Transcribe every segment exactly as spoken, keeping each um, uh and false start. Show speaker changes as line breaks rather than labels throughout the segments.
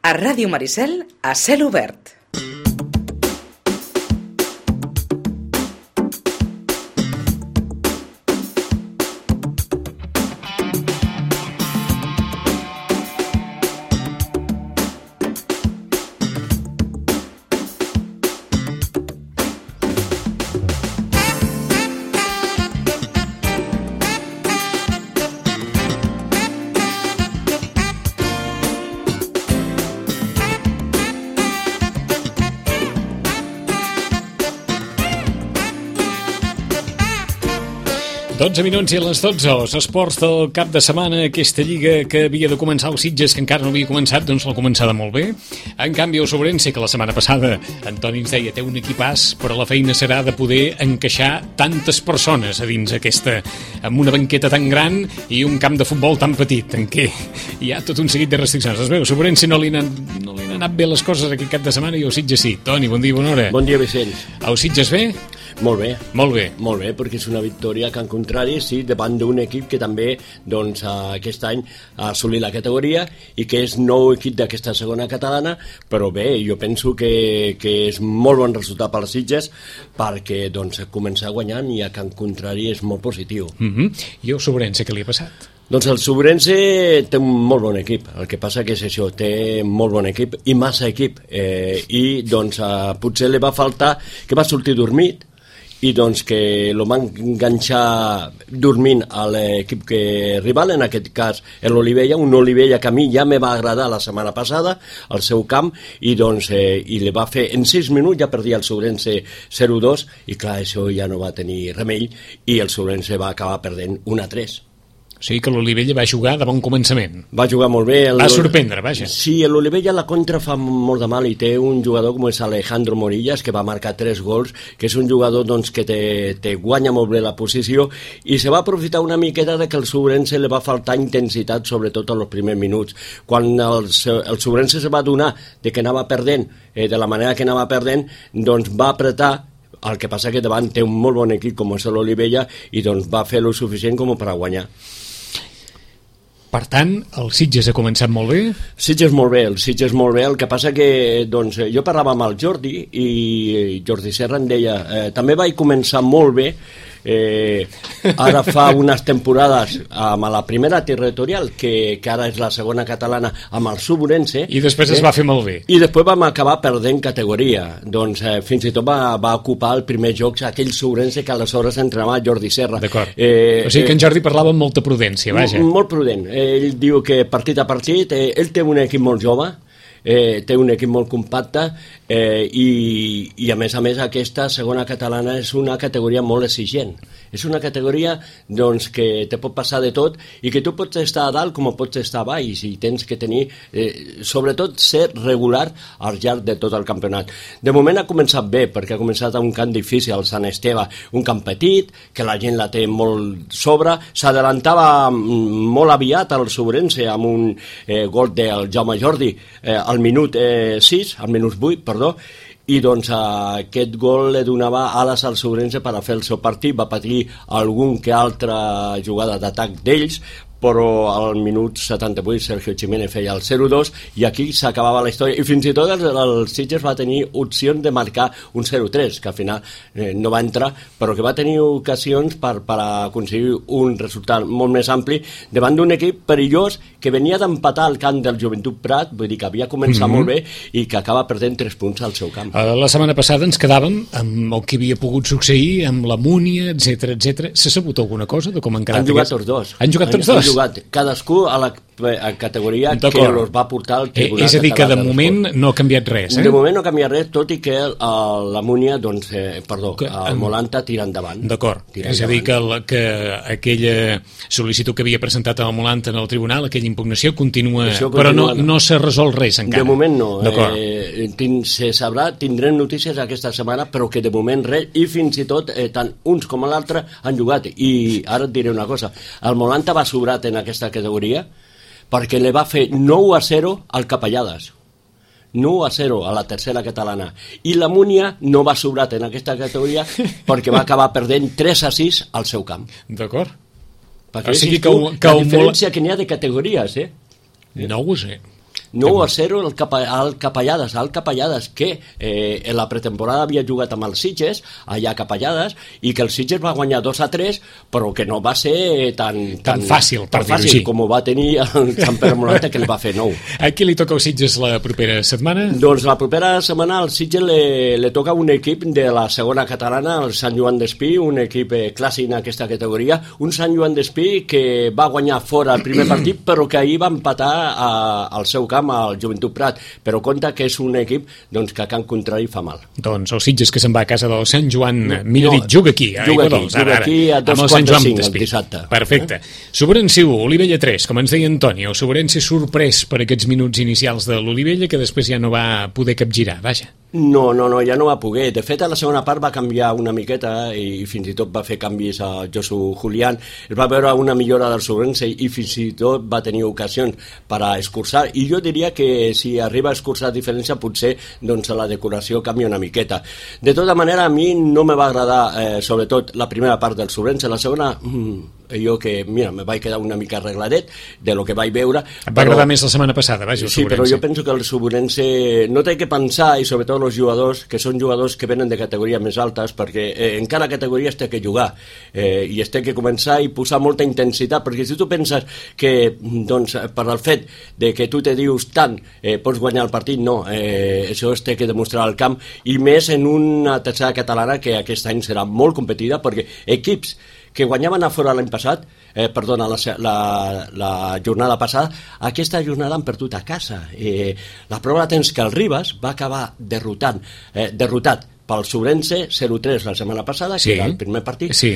A Ràdio Maricel, a cel obert.
dotze minuts i a les dotze, els esports del cap de setmana, aquesta lliga que havia de començar els Sitges, que encara no havia començat, doncs l'ha començada molt bé. En canvi, el Sobrense, que la setmana passada Antoni ens deia, té un equipàs, però la feina serà de poder encaixar tantes persones a dins aquesta, amb una banqueta tan gran i un camp de futbol tan petit, en què hi ha tot un seguit de restriccions. Es veu, Sobrense no li han, no li han anat bé les coses aquest cap de setmana i el Sitges sí. Toni, bon dia, bona hora.
Bon dia, Vicenç.
El Sitges bé?
Molt bé.
Molt bé.
Molt bé, perquè és una victòria que, en contrari, sí, davant d'un equip que també, doncs, aquest any ha assolit la categoria i que és nou equip d'aquesta segona catalana, però bé, jo penso que, que és molt bon resultat per als Sitges perquè, doncs, començar guanyant i, que, en contrari, és molt positiu.
Mm-hmm. I el Sobrense, què li ha passat?
Doncs el Sobrense té un molt bon equip, el que passa que és això, té molt bon equip i massa equip, eh, i doncs eh, potser li va faltar que va sortir dormit, i doncs que lo van enganxar dormint a l'equip que rival, en aquest cas l'Olivella, un Olivella que a mi ja me va agradar la setmana passada al seu camp, i doncs eh, i li va fer en sis minuts, ja perdia el Sobrense zero dos, i clar, això ja no va tenir remei i el Sobrense va acabar perdent un a tres.
O sigui que l'Olivella va jugar de bon començament.
Va jugar molt bé. El...
Va sorprendre, vaja.
Sí, l'Olivella la contra fa molt de mal i té un jugador com és Alejandro Morillas, que va marcar tres gols, que és un jugador doncs, que te, te guanya molt bé la posició, i se va aprofitar una miqueta de que el Sobrense li va faltar intensitat, sobretot en els primers minuts. Quan el, el Sobrense se va adonar de que anava perdent, eh, de la manera que anava perdent, doncs va apretar. El que passa que davant té un molt bon equip com és l'Olivella i doncs va fer lo suficient com per a guanyar.
Per tant, el Sitges ha començat molt bé?
Sitges molt bé, el Sitges molt bé, el que passa que doncs, jo parlava amb el Jordi i Jordi Serra em deia, eh, també vaig començar molt bé, eh, ara fa unes temporades amb la primera territorial, que, que ara és la segona catalana, amb el Sobrense.
I després eh, es va fer molt bé.
I després vam acabar perdent categoria. Doncs eh, fins i tot va, va ocupar el primer joc aquell Sobrense que aleshores entrenava Jordi Serra.
D'acord. Eh, o sigui que en Jordi parlava amb molta prudència, vaja.
Molt prudent. Ell diu que partit a partit, eh, ell té un equip molt jove, eh, té un equip molt compacte, eh, i, i a més a més aquesta segona catalana és una categoria molt exigent. És una categoria doncs, que te pot passar de tot i que tu pots estar a dalt com pots estar a baix, i tens que tenir, eh, sobretot, ser regular al llarg de tot el campionat. De moment ha començat bé, perquè ha començat a un camp difícil, el Sant Esteve, un camp petit, que la gent la té molt sobre, s'adelantava molt aviat al Sobrense amb un eh, gol del Jaume Jordi eh, al minut eh, sis, al minut vuit, perdó, i doncs aquest gol li donava ales al Sobrense per a fer el seu partit. Va patir algun que altra jugada d'atac d'ells, però al minut setanta-vuit Sergio Jiménez feia el zero dos i aquí s'acabava la història, i fins i tot el, el Sitges va tenir opcions de marcar un zero tres, que al final eh, no va entrar, però que va tenir ocasions per, per aconseguir un resultat molt més ampli davant d'un equip perillós que venia d'empatar al camp del Joventut Prat, vull dir que havia començat mm-hmm. molt bé i que acaba perdent tres punts al seu camp.
La setmana passada ens quedàvem amb el que havia pogut succeir, amb la Múnia, etcètera, etcètera. S'ha sabut alguna cosa de com han quedat?
Han jugat tots dos.
Han jugat tots dos?
Jugat, cadascú a la a categoria que els va portar al tribunal.
Eh, és a dir, que de moment no ha canviat res, eh?
De moment no ha canviat res, tot i que el, la Múnia, doncs, eh, perdó, que, el Molanta tira endavant.
D'acord, és a dir, que, el, que aquella sol·licitud que havia presentat el Molanta en el tribunal, aquella impugnació, continua, continua però no, no s'ha resolt res encara.
De moment no. Eh, tin, se sabrà, tindrem notícies aquesta setmana, però que de moment res, i fins i tot, eh, tant uns com l'altre han jugat. I ara et diré una cosa, el Molanta va sobrat en aquesta categoria, perquè li va fer nou a zero al Capellades, nou a zero a la tercera catalana, i la Múnia no va sobrat en aquesta categoria perquè va acabar perdent tres a sis al seu camp.
D'acord.
Perquè o sigui que, tu, que la diferència que n'hi ha de categories, eh?
No ho sé.
nou a zero al, Capa, al Capellades, al Capellades, que eh, en la pretemporada havia jugat amb els Sitges, allà a Capellades, i que el Sitges va guanyar dos a tres, però que no va ser tan,
tan, tan fàcil,
tan
per
fàcil
dir-ho així.
com ho va tenir el Sant Pere Morata, que li va fer nou.
A qui li toca als Sitges la propera setmana?
Doncs la propera setmana al Sitges le, le toca un equip de la segona catalana, el Sant Joan d'Espí, un equip eh, clàssic en aquesta categoria, un Sant Joan d'Espí que va guanyar fora el primer partit, però que ahir va empatar a, al seu camp al Joventut Prat, però compta que és un equip doncs, que a camp contrari fa mal.
Doncs el Sitges que se'n va a casa del Sant Joan, no, millor
no,
dit, juga aquí, a
juga aquí,
Dols,
juga
ara,
aquí a dos quarts de cinc el dissabte.
Perfecte. Eh? Sobrenci u, Olivella tres, com ens deia Antonio, Sobrenci sorprès per aquests minuts inicials de l'Olivella, que després ja no va poder capgirar, vaja.
No, no, no, ja no va poder. De fet, a la segona part va canviar una miqueta i fins i tot va fer canvis a Josu Julián. Es va veure una millora del Sobrense i fins i tot va tenir ocasions per a escurçar. I jo diria que si arriba a escurçar diferència, potser doncs, la decoració canvia una miqueta. De tota manera, a mi no me va agradar, eh, sobretot, la primera part del Sobrense. La segona... Mm, jo que, mira, me vaig quedar una mica arregladet de lo que vaig veure.
Et va però... agradar més la setmana passada, vaja, el
Sí,
Sobrense.
però jo penso que el Sobrense no té que pensar, i sobretot els jugadors, que són jugadors que venen de categories més altes, perquè eh, en cada categoria es té que jugar, eh, i es té que començar i posar molta intensitat, perquè si tu penses que, doncs, per el fet de que tu te dius tant, eh, pots guanyar el partit, no, eh, això es té que demostrar al camp, i més en una tercera catalana que aquest any serà molt competida, perquè equips que guanyaven a fora l'any passat, eh, perdona, la, la, la jornada passada, aquesta jornada han perdut a casa. Eh, la prova de temps que el Ribas va acabar derrotant, eh, derrotat pel Sobrense zero tres la setmana passada,
sí,
que era el primer partit,
sí.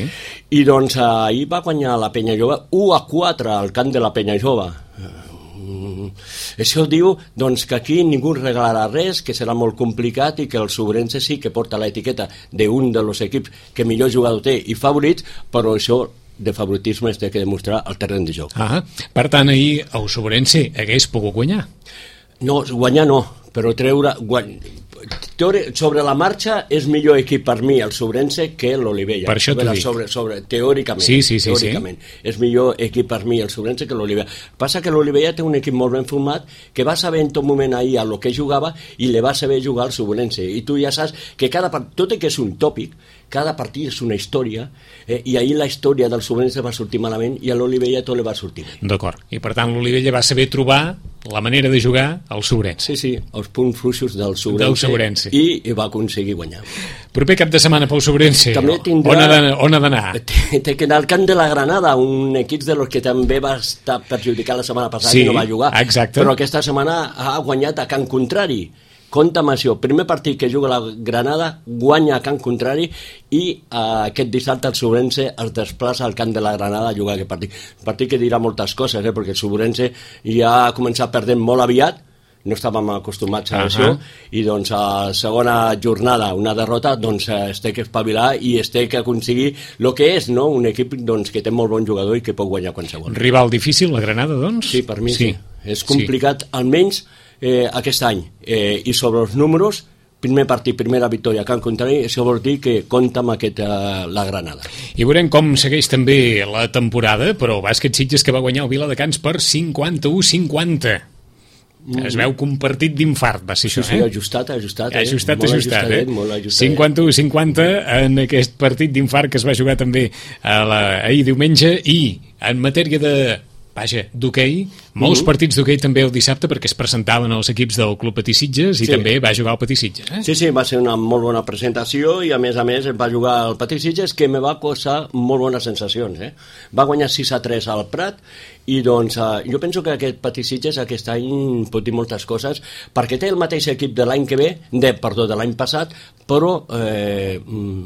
I doncs ahir va guanyar la Penya Jove u a quatre al camp de la Penya Jove. Això diu doncs, que aquí ningú regalarà res, que serà molt complicat i que el Sobrense sí que porta l'etiqueta d'un dels equips que millor jugador té i favorits, però això de favoritisme es té que demostrar al terreny de joc.
Ah, per tant, ahir el Sobrense hagués pogut guanyar?
No, guanyar no, però treure... Guany... Sobre la marxa és millor equip per mi el Sobrense que l'Olivella.
Per això t'ho dic.
Sobre, sobre, teòricament,
sí, sí, sí,
teòricament
sí.
És millor equip per mi el Sobrense que l'Olivella. Passa que l'Olivella té un equip molt ben format que va saber en tot moment ahir a lo que jugava i le va saber jugar al Sobrense. I tu ja saps que cada part, tot i que és un tòpic, cada partit és una història, eh, i ahir la història del Sobrense va sortir malament i a l'Olivella tot li va sortir bé.
D'acord. I per tant l'Olivella va saber trobar la manera de jugar al Sobrense.
Sí, sí, els punts fluixos del Sobrense,
del Sobrense.
I, i va aconseguir guanyar.
Proper cap de setmana pel Sobrense,
també tindrà,
on ha d'anar?
Té, té que anar al camp de la Granada, un equip de los que també va estar perjudicat la setmana passada,
sí,
i no va jugar,
exacte.
Però aquesta setmana ha guanyat a camp contrari. Compte amb això, primer partit que juga la Granada guanya a camp contrari i eh, aquest dissabte el Sobrense es desplaça al camp de la Granada a jugar aquest partit. Un partit que dirà moltes coses, eh, perquè el Sobrense ja ha començat perdent molt aviat, no estàvem acostumats a uh -huh. això, i doncs a la segona jornada, una derrota, doncs es té que espavilar i es té que aconseguir el que és, no? Un equip doncs, que té molt bon jugador i que pot guanyar qualsevol.
Rival difícil, la Granada, doncs?
Sí, per mi sí. sí. És complicat,
sí.
Almenys eh, aquest any. Eh, I sobre els números, primer partit, primera victòria a camp contrari, això vol dir que compta amb aquest, uh, la Granada.
I veurem com segueix també la temporada, però bàsquet Sitges que va guanyar el Viladecans per cinquanta-u cinquanta. Es veu que un partit d'infart va ser
sí,
això,
sí,
eh?
ajustat, ajustat. Eh?
Ajustat,
molt
ajustat, eh?
Molt ajustat.
cinquanta-u cinquanta en aquest partit d'infart que es va jugar també a la, ahir diumenge, i en matèria de... Vaja, d'hoquei, molts uh -huh. partits d'hoquei també el dissabte perquè es presentaven els equips del Club Patí Sitges i sí. també va jugar el Patí Sitges. Eh?
Sí, sí, va ser una molt bona presentació i a més a més va jugar el Patí Sitges que me va causar molt bones sensacions. Eh? Va guanyar sis a tres al Prat i doncs eh, jo penso que aquest Patí Sitges aquest any pot dir moltes coses perquè té el mateix equip de l'any que ve, de, perdó, de l'any passat, però eh,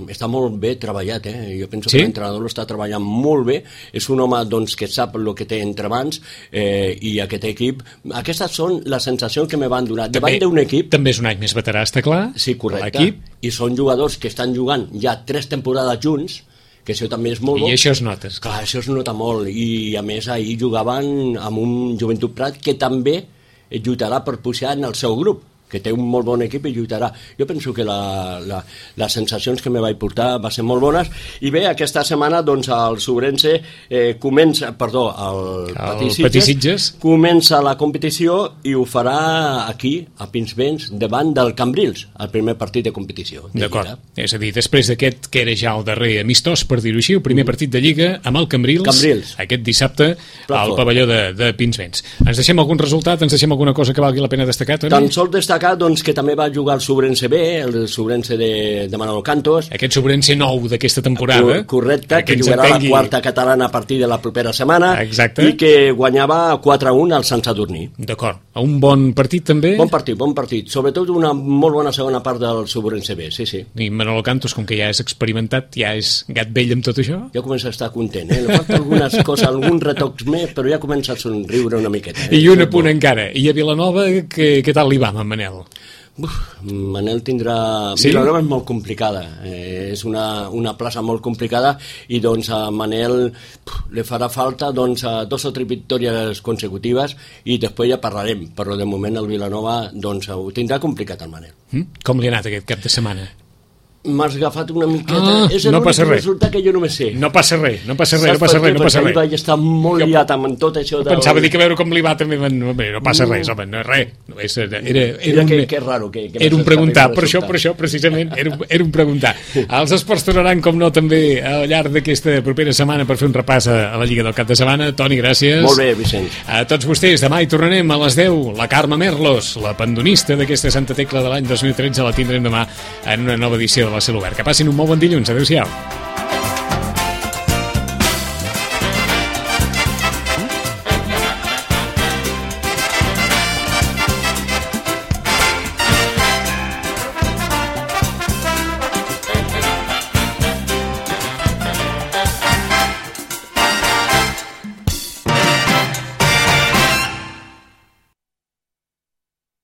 està molt bé treballat. Eh? Jo penso
sí?
que l'entrenador l'està treballant molt bé, és un home doncs, que sap el que té entre mans eh, i aquest equip, aquestes són les sensacions que me van donar davant d'un equip.
També és un any més veterà, està clar.
Sí, correcte, i són jugadors que estan jugant ja tres temporades junts, que això també és molt bo.
I això es nota.
Clar, això es nota molt, i a més ahir jugaven amb un Joventut Prat que també lluitarà per pujar en el seu grup, que té un molt bon equip i lluitarà. Jo penso que la, la, les sensacions que me vaig portar va ser molt bones, i bé, aquesta setmana doncs el Sobrense eh, comença, perdó, el,
el Patissitges
comença la competició i ho farà aquí, a Pinsbens, davant del Cambrils, el primer partit de competició. De
D'acord, Lliga. És a dir, després d'aquest que era ja el darrer amistós, per dir-ho així, el primer mm. partit de Lliga amb el Cambrils,
Cambrils.
aquest dissabte al pavelló de, de Pinsbens. Ens deixem algun resultat, ens deixem alguna cosa que valgui la pena destacar, Toni?
Tan sols destacar doncs, que també va jugar el Sobrense B, el Sobrense de, de Manolo Cantos.
Aquest Sobrense nou d'aquesta temporada.
Correcte, que jugarà entengui... la quarta catalana a partir de la propera setmana.
Exacte.
I que guanyava quatre a un al Sant Sadurní.
D'acord. Un bon partit també?
Bon partit, bon partit. Sobretot una molt bona segona part del Sobrense B, sí, sí.
I Manolo Cantos, com que ja és experimentat, ja és gat vell amb tot això?
Ja comença a estar content, eh? Le falta algunes coses, alguns retocs més, però ja comença a somriure una miqueta. Eh?
I un apunt encara. I a Vilanova, què, què tal li va, en Manel?
Uf, Manel tindrà...
Sí?
Vilanova és molt complicada, eh, és una, una plaça molt complicada, i doncs a Manel puf, li farà falta doncs, a dos o tres victòries consecutives, i després ja parlarem, però de moment el Vilanova doncs, ho tindrà complicat el Manel.
Mm? Com li ha anat aquest cap de setmana?
M'has agafat una miqueta...
Ah,
és
no
l'únic resultat que jo no me sé.
No passa res, no passa res, no passa res, no passa res.
Perquè vaig estar molt jo... liat amb tot això de...
Pensava dir que veure com li va també, no, no passa res, home, no, res. Era, era, era, un,
que, que raro, que, que
era un preguntar, per això, per això, precisament, era, un, era un preguntar. Els esports tornaran, com no, també al llarg d'aquesta propera setmana per fer un repàs a, a la Lliga del cap de setmana. Toni, gràcies.
Molt bé, Vicenç.
A tots vostès, demà hi tornarem a les deu. La Carme Merlos, la pandonista d'aquesta Santa Tecla de l'any dos mil tretze, la tindrem demà en una nova edició de la Cel Obert. Que passin un molt bon dilluns. Adéu-siau.